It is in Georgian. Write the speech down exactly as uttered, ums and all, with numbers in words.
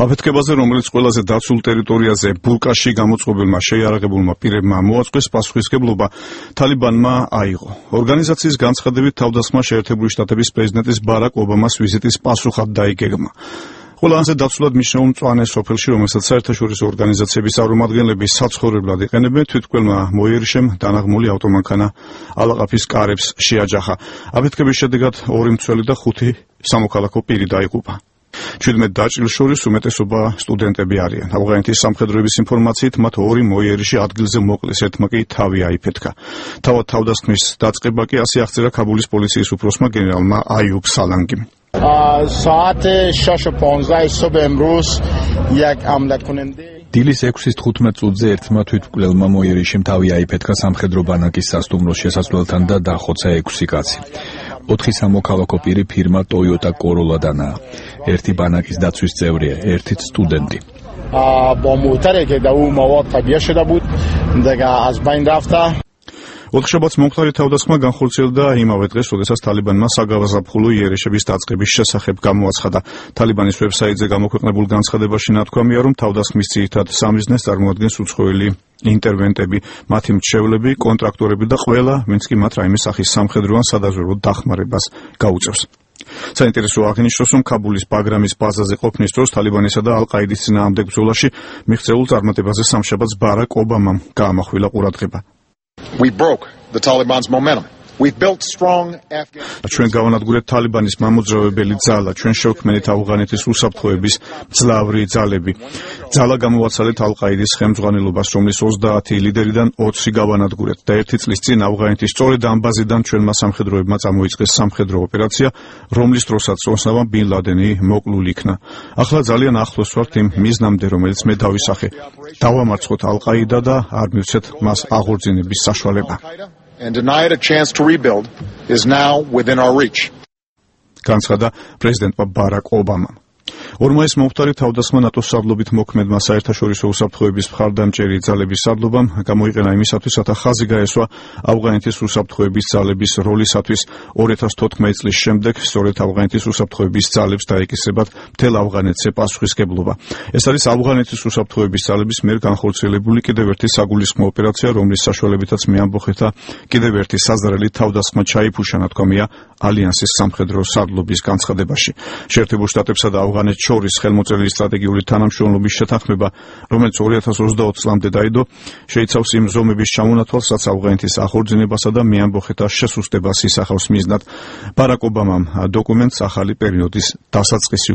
აფეთქებაზე, რომელიც ყველაზე დაცულ ტერიტორიაზე ბურკაში გამოწყობილმა შეიარაღებულმა პირებმა მოაწყვეს, პასუხისმგებლობა თალიბანმა აიღო. ორგანიზაციის განცხადებით, თავდასხმა შეერთებული შტატების პრეზიდენტის ბარაკ ობამას ვიზიტის პასუხად დაიგეგმა. ყველაზე დაცულად მნიშვნელოვან მწვანე სოფელში, რომელსაც საერთაშორისო ორგანიზაციების წარმომადგენლები საცხოვრებლად იყენებენ, თვითმკვლელმა მოიერიშემ დანაღმული ავტომანქანა ალაყაფის კარებს შეაჯახა. აფეთქების შედეგად ორი მცველი და ხუთი სამოქალაქო პირი დაიღუპა. ჩვიდმეტ დაჭრილს შორის უმეტესობა სტუდენტები არიან. ავღანეთის სამხედროების ინფორმაციით, მათ ორი მოიერიში ადგილზე მოკლეს, ერთმა კი თავი აიფეთქა. თავად თავდასხმის დაწყება კი ასე აღწერა ქაბულის პოლიციის უფროსმა გენერალმა აიუბ სალანგიმ. ساعت شش و پانزده صبح امروز یک حمله کننده დილის ექვსის თხუთმეტ წუთზე ერთმა თვითმკვლელმა მოიერიშემ თავი აიფეთქა სამხედრო ბანაკის სასტუმროს შესასვლელთან და დახოცა ექვსი კაცი. ოთხი სამოქალაქო პირი ფირმა Toyota Corolla-დანაა. ერთი ბანაკის დაცვის წევრია, ერთიც სტუდენტი. با موتری که در او مواد طبیعه شده بود دیگه از بین رفته. ოთხშაბათს მომხდარი თავდასხმა განხორციელდა იმავე დღეს, როდესაც თალიბანმა საგაზაფხულო იერიშების დაწყების შესახებ გამოაცხადა. თალიბანის ვებსაიტზე გამოქვეყნებულ განცხადებაში ნათქვამია, რომ თავდასხმის ძირითად სამიზნეს წარმოადგენს უცხოელი ინტერვენტები, მათი მრჩევლები, კონტრაქტორები და ყველა, ვინც კი მათ რაიმე სახის სამხედრო ან სადაზვერვო დახმარებას გაუწევს. საინტერესოა აღინიშნოს, რომ ქაბულის ბაგრამის ბაზაზე ყოფნის დროს თალიბანისა და ალ-ყაიდის წინააღმდეგ ბრძოლაში მიღწეულ წარმატებაზე სამშაბათს ბარაკ ობამამ გაამახვილა ყურადღება. We broke the Taliban's momentum. We've built strong Afghan. ჩვენ გავანადგურეთ თალიბანის მამოძრავებელი ძალა, ჩვენ შევქმნით ავღანეთის უსაფრთხოების მძლავრი ძალები. ძალა გამოვაცალეთ ალ-ყაიდის ხელმძღვანელობას, რომლის ოცდაათი ლიდერიდან ოცი გავანადგურეთ და ერთი წლის წინ ავღანეთის სწორედ ამ ბაზიდან ჩვენმა სამხედროებმა წამოიწყეს სამხედრო ოპერაცია, რომლის დროსაც ოსამა ბინ ლადენი მოკლულ იქნა. ახლა ძალიან ახლოს ვართ იმ მიზნამდე, რომელიც მე დავისახე. დავამარცხოთ ალ-ყაიდა და არ მივცეთ მას აღორძინების საშუალება. And deny it a chance to rebuild is now within our reach. განცხადა პრეზიდენტმა ბარაკ ობამამ. ორმაის მომხდარი თავდასხმა ნატოს სარდლობით მოქმედმა საერთაშორისო უსაფრთხოების მხარდამჭერი ძალების სარდლობამ გამოიყენა იმისათვის, რათა ხაზი გაესვა ავღანეთის უსაფრთხოების ძალების როლისათვის ორი ათას თოთხმეტი წლის შემდეგ, სწორედ ავღანეთის უსაფრთხოების ძალებს დაეკისრებათ მთელ ავღანეთზე პასუხისმგებლობა. ეს არის ავღანეთის უსაფრთხოების ძალების მიერ განხორციელებული კიდევ ერთი საგულისხმო ოპერაცია, რომლის საშუალებითაც მეამბოხეთა კიდევ ერთი საზრელი თავდასხმა ჩაიფუშა, ნათქვამია ალიანსის სამხედრო სარდლობის განცხადებაში. შეერთებულ შტატებსა და ავღანეთს შორის ხელმოწერილი სტრატეგიული თანამშრომლობის შეთანხმება, რომელიც ორი ათას ოცდაოთხ წლამდე დაიდო, შეიცავს იმ ზომების ჩამონათვალს, რაც ავღანეთის ახორძინებასა და მეამბოხეთა შესუსტებას ისახავს მიზნად. ბარაკ ობამამ დოკუმენტს ახალი პერიოდის დასაწყისი